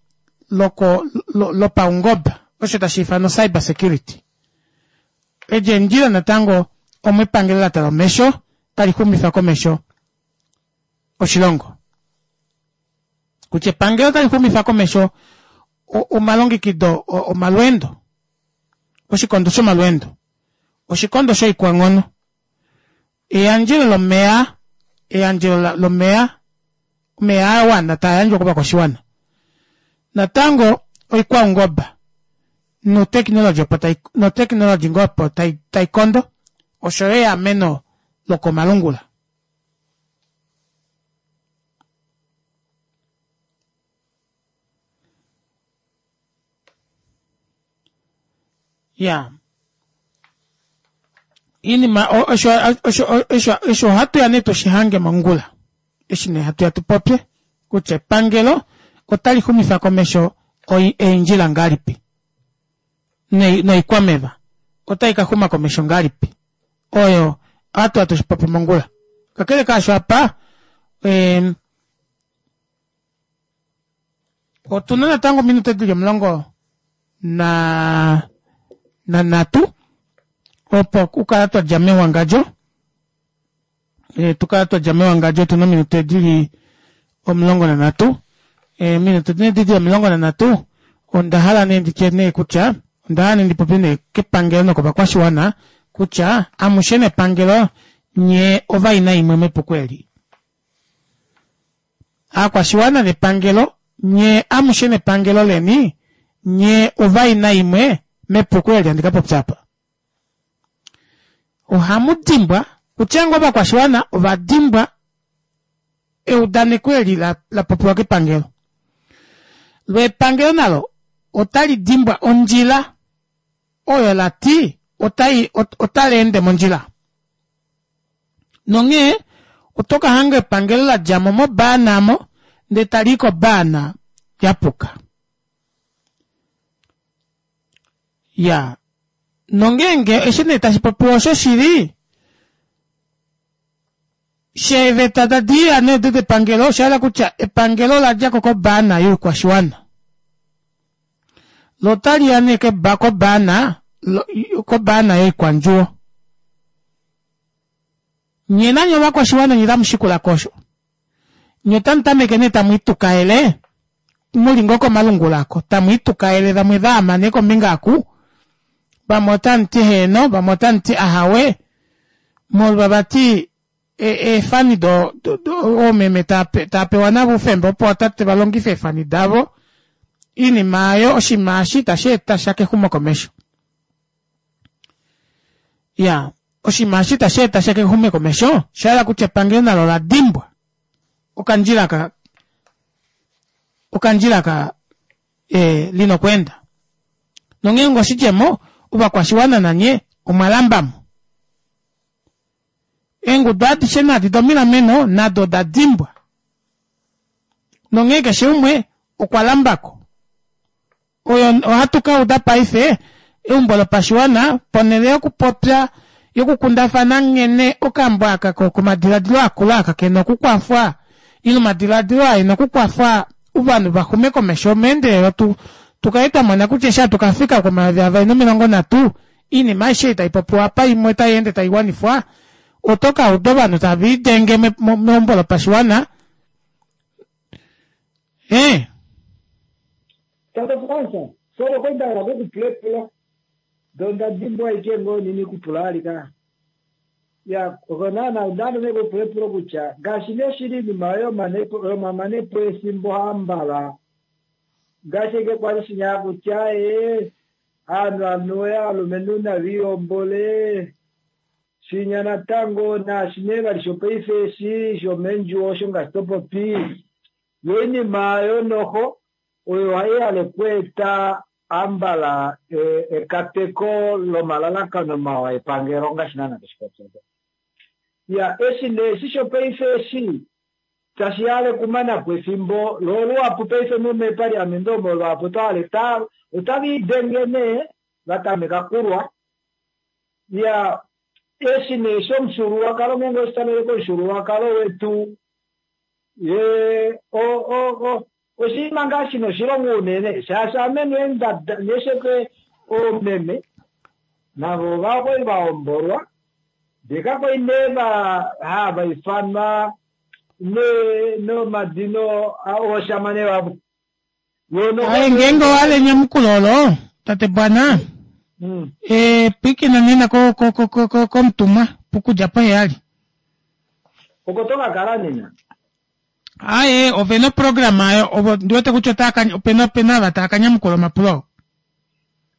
loko, lopaungoba, osho tashi ifanwa cyber security. Edi eendjila natango omo epangelo la tala omesho tali xumifa komesho oshilongo. Kutya epangelo otali xumifa komesho omalongekido omalweendo, oshikondo shomalweendo, oshikondo shoikwanghono, eyandjelo lomeya, eyandjelo lomeya, omeya a wana taa yandjwa kovakwashiwana. Natango oikwaungoba noteknologi opo tai noteknologi ngoo opo tai tai kondo osho yo eameno lokomalungula. Ya iinima osho osho osho osho ohatu ya nee tushi hange mongula eshi nee hatu ya tu popye kutya epangelo otali xumifa komesho eendjila ngahelipi noikwameva otai ka xuma komesho ngahelipi oyo ohatu ya tushi popye mongula kakele kaasho apa eh, Otu na natango ominute dili omulongo na nanhatu opo okukala twa dja mewangadjo e, tu kala twa dja mewangadjo otu na ominute dili 13 eminute nee dili 13 onda hala nee nditye nee kutya onda hala nee ndi popye nee kepangelo nokovakwashiwana kutya amushe nepangelo nye ovaina imwe mepuko eli. Aakwashiwana nepangelo nye amushe nepangelo leni nye ovaina imwe mepuko eli handi ka popya apa. Ohamu dimbwa kutya ngoo ovakwashiwana ova dimbwa eudaneko eli la, la popiwa kepangelo. Lo epangelo nalo otali dimbwa ondjila oyo la ti otai otali ende mondjila. Nonghee oto ka hanga epangelo la dja mo mobaana mo ndele tali i kobaana ya puka. Ya, nongeenge eshi nee tashi popiwa oshoshili, sheeveta tadi ya nee odo depangelo, osha yela kutya epangelo ola dja ko kobaana youkwashiwana. Lo otali ya nee kobaana, kobaana yoikwandjuwo. Nye nanye ovakwashiwana nye tamu shikula ko osho. Nye otamu tameke nee tamu itukaele, mu li ngoo komalungula ako, tamu itukaele vamwe va ama nee kombinga aku, vamwe otamu ti heeno, vamwe otamu ti ahawe, molwa vati eefani do, do, do oomeme tava pewa navo oufemba opo ootate va longife eefani davo, iinima aayo oshinima eshi itashi eta sha kexumokomesho. Ya, oshinima eshi itashi eta sha kexumokomesho, osha hala kutya epangelo nalo ola dimbwa okandjila ka okandjila ka e, lina okweenda. Nongeenge oshidjemo, ovakwashiwana nanye omwa lamba mo. Eengudu adishe nadi domilameno nado oda dimbwa. Nonghee keshe umwe okwa lamba ko. Oyo ohatu ka uda paife eumbo lopashiwana ponhele yokupopya yokukundafana nghene okambo aka komadiladilo akula aka kena okukwafwa ile omadiladilo aa ena okukwafwa ovanhu va xume komesho meendelelo tu tukale twa mona kutya eshi hatu ka fika ko-2030 iinima aishe ei tai popiwa apa imwe otai ende tai wanifwa oto ka uda ovanhu tave lidenge meumbo lopashiwana ee Tate Frans, sorry okwa nda hala okukupula epulo ndee onda dimbwa ashike ngoo nini kupula alika. Ya, oko naana onda hala nee okupula epulo kutya ngaashi nee shili iinima yomamanepo efimbo hambala ngaashi eke kwali shinya kutya ee aanhu anuwe aalumenhu naviihombole shinya natango naashi nee vali shopaife eshi shomendjuwo osho ngaashi topopi yo oinima yonoho oyo ohai hale okweeta ambala ekateko lomalalakano mawa epangelo ngaashi naana toshipopya. Ya, eshi nee eshi shopaife eshi tashi hale okumana po efimbo loo luhapu paife momeepaliamente omo luhapu oto hale otava idenge nee vatameka kulwa. Ya, eshi nee shomufyuululwakalo ngeenge oshitalele komufyuululwakalo wetu ye oshinima ngaa shina oshilonga unene shaashi ame nee nesheke oomeme navo ovakwali vahombolwa ndee kakwali nee hava ifanwa nomadino ooshamane vavo. Aye ngeenge owa hala enyamukulo olo tate Bwana pwiikina nena komutumwa pokudja poheyali. Oko to ka kala nena? Aye, ove na oprograma ayo, ovo ndi wete kutya otava ka, opena opena ava tava ka nyamukula omapulo oo.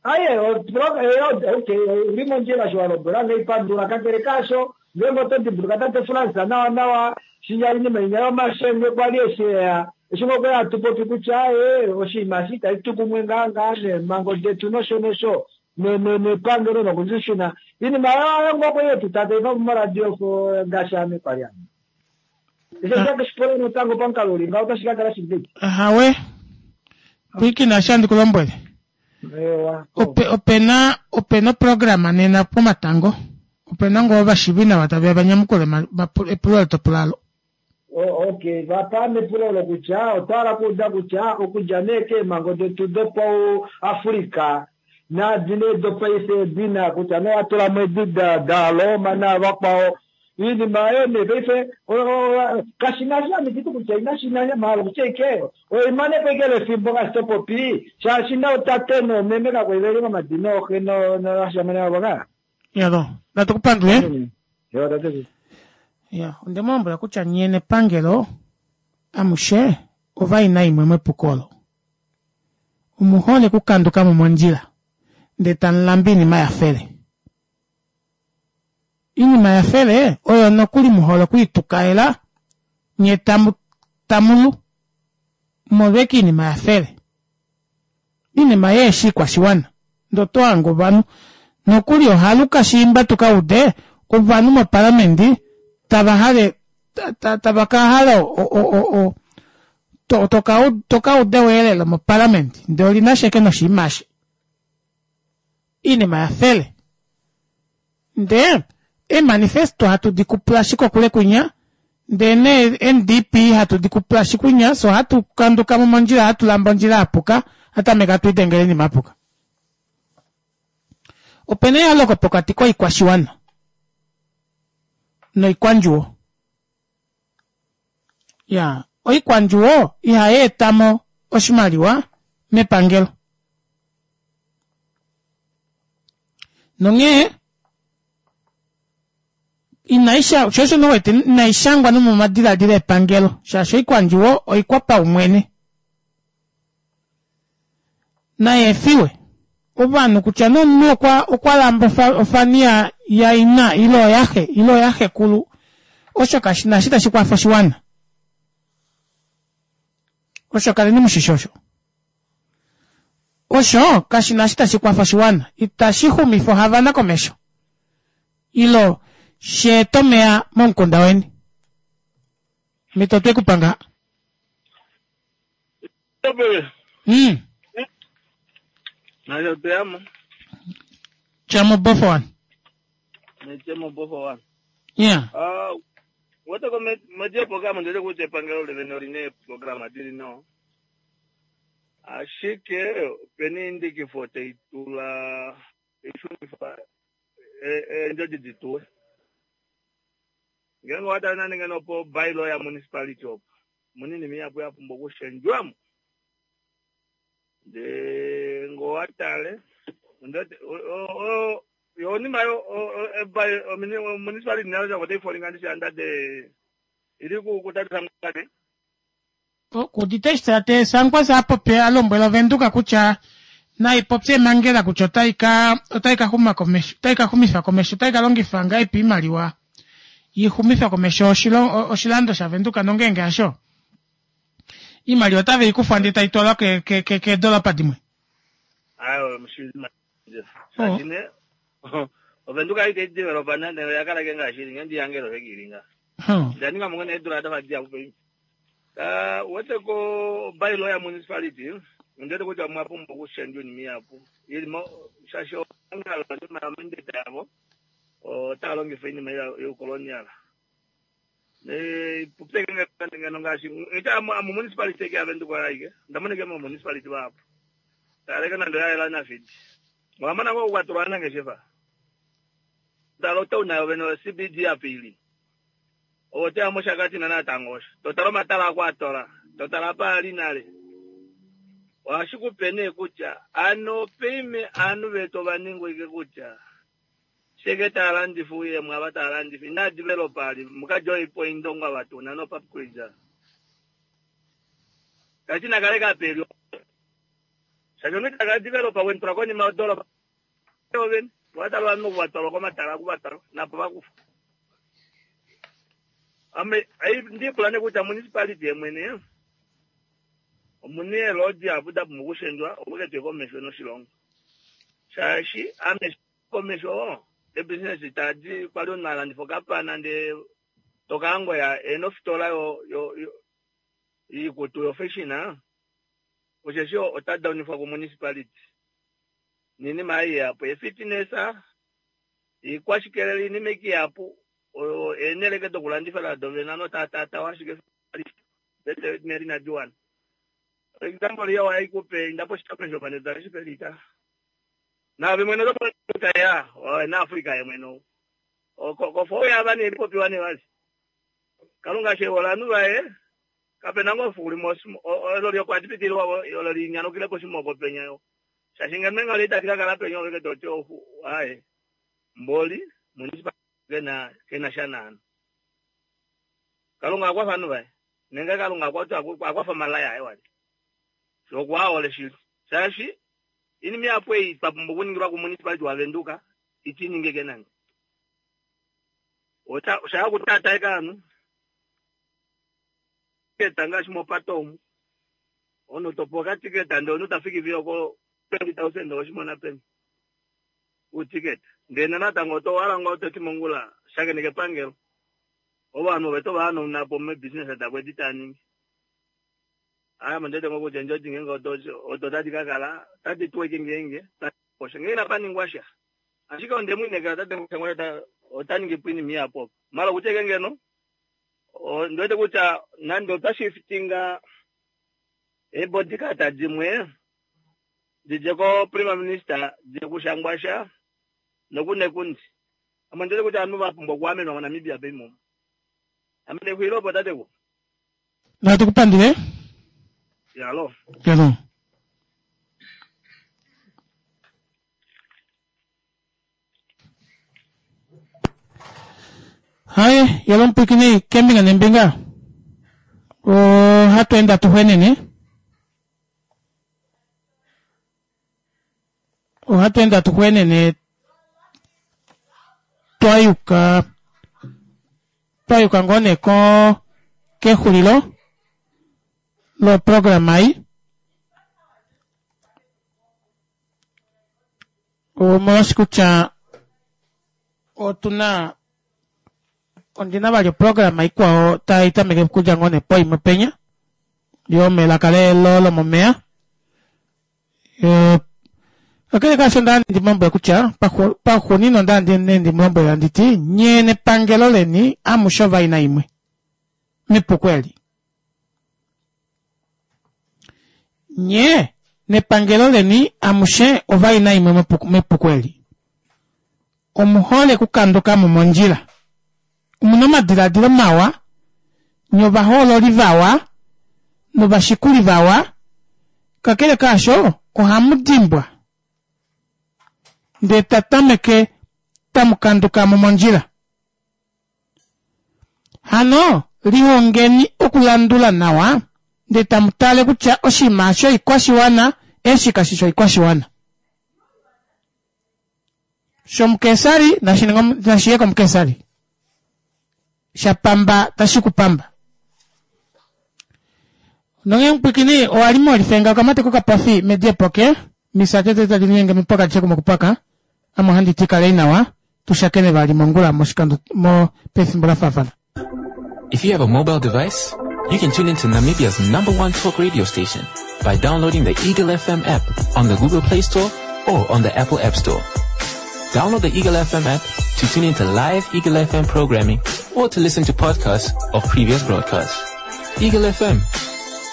Aye, okay, uli mondjila sho wa lombwela nge ipandula. Kakele kaasho, ngeenge oto dimbuluka tate Frans nawa nawa, shinya oinima inya yomashenge kwali eshi eya, eshi ngoo kwali hatu popi kutya aye, oshinima eshi itashi tu kumwe ngaa ngaa neemhango detu nosho nosho, nepangelo nokushishuna. Iinima oyo ngoo kwali yetu tataifa moradio ngaashi ame kwali ame. Eshi otashi pula natango pamukalo uli ngaho otashi ka kala shili peni? Ahawe. Pwiikina eshi handi ku lombwele. Ewa. Ope, opena, opena oprograma nena pomatango. Opena ngoo ovashivi nawa tave ya va nyamukule epulo olo to pula alo. Okay, vapaame epulo olo kutya otwa hala okuuda kutya okudja nee keemhango detu dopauAfrica naadi nee dopaife edi na kutya nee owa tula mo edi daRoma navakwao iinima oyo nee paife kashi na shi ame titi kutya inashi na mahala okutya ike oimanepo ike lefimbo ngaashi to popi shaashi nootate noomeme kakwali veli momadina ooxe novashamane vavo ka. Yalo, natu ku pandule. Ya, onde mu lombwela kutya nye nepangelo amushe ovaina imwe mepuko olo. Omu hole okukanduka mo mondjila ndee tamu lamba iinima ya fele. Iinima ya fele oyo nokuli mu hole okwiitukaela nye tamu tamu lu molweke iinima ya fele. Iinima yeeshi ikwashiwana ndee oto hange ovanhu nokuli ohaluka shiimba tu ka ude ovanhu moparlamendi tava hale tava ka hala to ka uda eweelelo moparlamendi ndee oli na sheke noshinima eshi. Iinima ya fele. Ndee eemanifesto hatu di kupula ashike okule kwinya, ndee nee NDP hatu di kupula ashike kwinya, fye ohatu kanduka mo mondjila, hatu lamba ondjila ya puka, hatu tameke hatu lidengele oinima ya puka. Opena eyooloko pokati koikwashiwana noikwandjuwo. Ya, oikwandjuwo ihai eta mo oshimaliwa mepangelo. Nonghee inai sha sho osho wete inai shangwa nomomadiladilo epangelo shaashi oikwandjuwo oikwapaumwene. Nai efiwe ovanhu kutya nomunhu okwa okwa lamba ofani ya yaina ile oyaxe ile oyaxekulu osho kashi na eshi tashi kwafa oshiwana. Osho kaleni mushishi osho. Osho kashi na eshi tashi kwafa oshiwana, itashi xumifa oHavana komesho ilo shi ete omeya momukunda weni. Mito otwe ku pa ngaha. Nasho tweyamo. Tya mobofo one. Nitye mobofo one. Yeah. Ah, wete ko meje program ndele kutya epangelo levene oline eeprograma dili nawa. Ashike opena eindikifo tai tula tai shunifa eendjodi di tuwe. Ngeenge owa tale nande ngeno po bylaw ya municipality opo, omuna oinima ihapu ya pumbwa okushendjwamo. Ndee ngee owa tale, yo onima yo municipality nayo otai folinga ndishi under the ili ku tate Sangwani. Okuudite eshi tate Sankwasa a popya a lombwela Ovenduka kutya nai popye emangela kutya otai ka otai ka xuma komesho otai ka xumifa komesho otai ka longifa ngahelipi oimaliwa i xumife komesho oshilando shaVenduka nongeenge hasho iimaliwa otave i kufwa ndee tai twalwa keedolopa dimwe. Ayo shaashi ne Ovenduka itai developa nande oya kala ke ngaashi ili ngee ndiyangele osho ke ili nga. Nda ninga mo ngoo nee eedula dafa dihapu paife. Uwete ko bylaw ya municipality ondi wete kutya omwa pumbwa okushendjwa oinima ihapu ili mo shaashi ongalo oinima yo mandate yavo otava longifa oinima youkolonial. Popye ngeno ngaashi amu municipality eke yaVenduka oyo aike onda mona ike mo municipality vahapu taleke nande oya yela nafidi owa mona ngoo okukwatulwa ovanangeshefa tala otown nayo vene oCBD apa ili Ove otoya mOshakati na natango osho. To tala omatala ako a tola. To tala apa a li nale. Ohashi ku pe nee kutya ano paime aanhu vetu ova ningwa ike kutya sheke taya landifa uuyemo ava taya landifa inaa developa ali muka joy po Indongo ava tuna no pap quiz. Tashi na kale ka peli. Shaashi omunhu ita ka developa wentura konima yodolopa. Ovene ova talwa ovanhu va twalwa komatala oku va twalwa napo va kufwa. Ame ndi pula nee kutya municipality yemwene omuna eeloodi dihapu da pumbwa okushendjwa opo ke tuye komesho noshilongo shaashi ame komesho ebusiness tadi kwali omunhu a landifa okapana ndee tokaangoya ena ofitola yo yo yiikutu yo fashion osheshi ota daunifwa ku municipality niinima ei ihapu, eefitness, iikwashikelele, iinima ike ihapu, oyo eenheleke dokulandifa nado vene ovanhu otava taatawa ashike vete meli inadi wana. Example iyo haikupe inda poshitopolwa shopaneta eshi pelita. Naave mwene oto mono kutya ya na Africa ye mwene ou. Kofo yava nee popiwa nee vali. Kalunga she ovanhu vaye kape na ngoo efiku limwe olo okwa pitililwa olo linyanukile poshimoko penya yo. Shaashi ngeno enghalo itadi ka kala penya ove to ti aaye mboli municipal kena kena sha naana. Kalunga akwafa ovanhu vaye nenge Kalunga akwafa omalai aye wali. Okwa hole shili. Shaashi inima ihapu ei twa pumbwa okuningilwa kumunicipality waVenduka iti ningike nande. Osha okutaataeka ovanhu tiketa ngaashi mopate omu omunhu topewa okatiketa ndee omunhu ta fiki fiyo oko 20,000 oweshi mona peni uutiketa ndee natango oto hala ngoo toti mongula shakeneka epangelo ovanhu ove to va hanauna po meebusiness davo edi tava ningi. Ame ondi wete ngoo kutya eendjodi ngeenge odo tadi ka kala otadi tuwa ashike ngeenge osho ngee inapa ningwa sha. Ashike onde mu inekela tate Shangwasha ota ningi po oinima ihapu opo. Mala okutya ashike ngeno ondi wete kutya nande otwa shiftinga eebodyguard dimwe didje ko prime minister diye kuShangwasha nokunekundi. Ame ondi wete kutya ovanhu va pumbwa okuamenwa moNamibia paife omu. Ame ndexulila opo tateku. Natu ku pandule. Yalo. Yalo. Haye, yalo mupwiikini kembinga nembinga. Ohatu ende atu xwenene. Ohatu ende atu xwenene twa yuka twa yuka ngoo nee ko kexulilo loprograma ei. Omolwashi kutya otuna ondina vali oprograma ikwao tai tameke okudja ngoo nee poimwe penya yomelaka lelo lomomeya. Kakele kaasho onda ndi mulombwele kutya paxuuninwa onda ndi ndi mulombwele handi ti nye nepangelo leni amushe ovaina imwe mepuko eli. Nye nepangelo leni amushe ovaina imwe mepuko eli. Omuhole kukanduka mo mondjila. Omuna omadiladilo mawa, nye ovahoololi vawa novashikuli vawa, kakele kaasho ohamu dimbwa ndee ta tameke tamu kanduka mo mondjila. Hano lihongeni okulandula nawa ndee tamu tale kutya oshinima shoikwashiwana eshi kashi shoikwashiwana. Shomukesari nashi ye komukesari. Sha pamba tashi ku pamba. Nonge mupwikini owa li molifenga okamate kokapofi mediepoke misate tete tadi linyenge mepaka lishe kumokupaka ame ohandi ti kalei nawa tu shakene vali mongula moshikando mo pefimbo la faafana. If you have a mobile device, you can tune into Namibia's number one talk radio station by downloading the Eagle FM app on the Google Play Store or on the Apple App Store. Download the Eagle FM app to tune into live Eagle FM programming or to listen to podcasts of previous broadcasts. Eagle FM,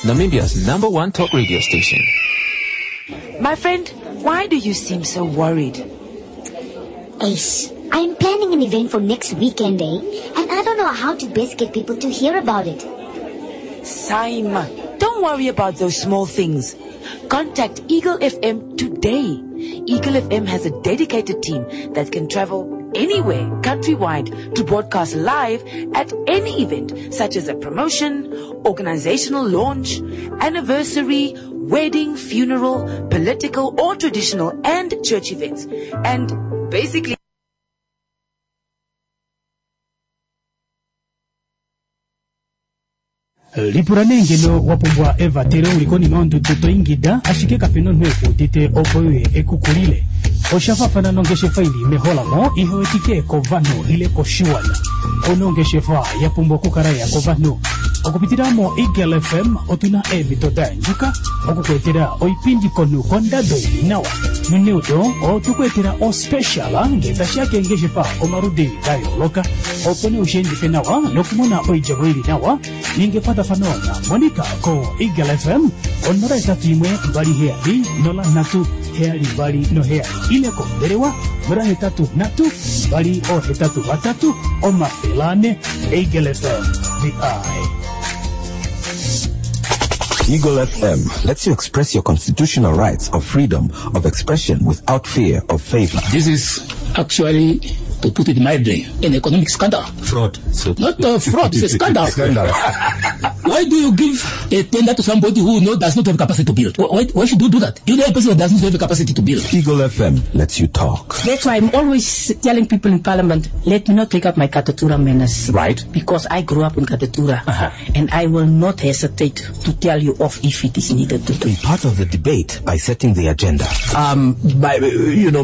Namibia's number one talk radio station. My friend, why do you seem so worried? Ace, I'm planning an event for next weekend, eh? And I don't know how to best get people to hear about it. Saima, don't worry about those small things. Contact Eagle FM today. Eagle FM has a dedicated team that can travel anywhere countrywide to broadcast live at any event, such as a promotion, organizational launch, anniversary, wedding, funeral, political or traditional and church events. And basically Lipula nee ngeno wa pumbwa evatelo uli konima yondudu to ingida ashike kape na omunhu eku udite opo uye eku kulile. Osha faafana nongeshefa ili meholamo ihe wetike kovanhu ile koshiwana. Ouna ongeshefa ya pumbwa okukala ya kovanhu. Okupitila mo Eagle FM otuna eemhito da yandjuka oku ku etela oipindi konhu kondado ili nawa. Noneudo otwe ku etela ospecial ngee tashiya keengeshefa omaludi da yooloka opo nee ushiendife nawa nokumona oidjemo ili nawa. Ninga ekwatafano na Monica ko Eagle FM ko 081 27 03 72 ile kombelewa 083 283 400. Eagle FM, the eye. Eagle FM lets you express your constitutional rights of freedom of expression without fear of favor. This is actually, to put it mildly, an economic scandal. Fraud. So Not a fraud, it's a scandal. Scandal. Why do you give a tender to somebody who does not have capacity to build? Why should you do that? You know a person who does not have the capacity to build. Eagle FM lets you talk. That's why I'm always telling people in Parliament, let me not take up my Katutura manners. Because I grew up in Katutura. And I will not hesitate to tell you off if it is needed to do. Be part of the debate by setting the agenda.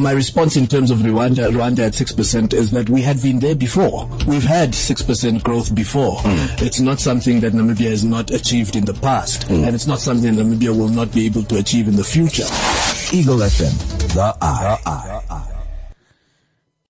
My response in terms of Rwanda at 6% is that we had been there before. We've had 6% growth before. It's not something that Namibia has not achieved in the past, and it's not something that Namibia will not be able to achieve in the future. Eagle FM, the eye.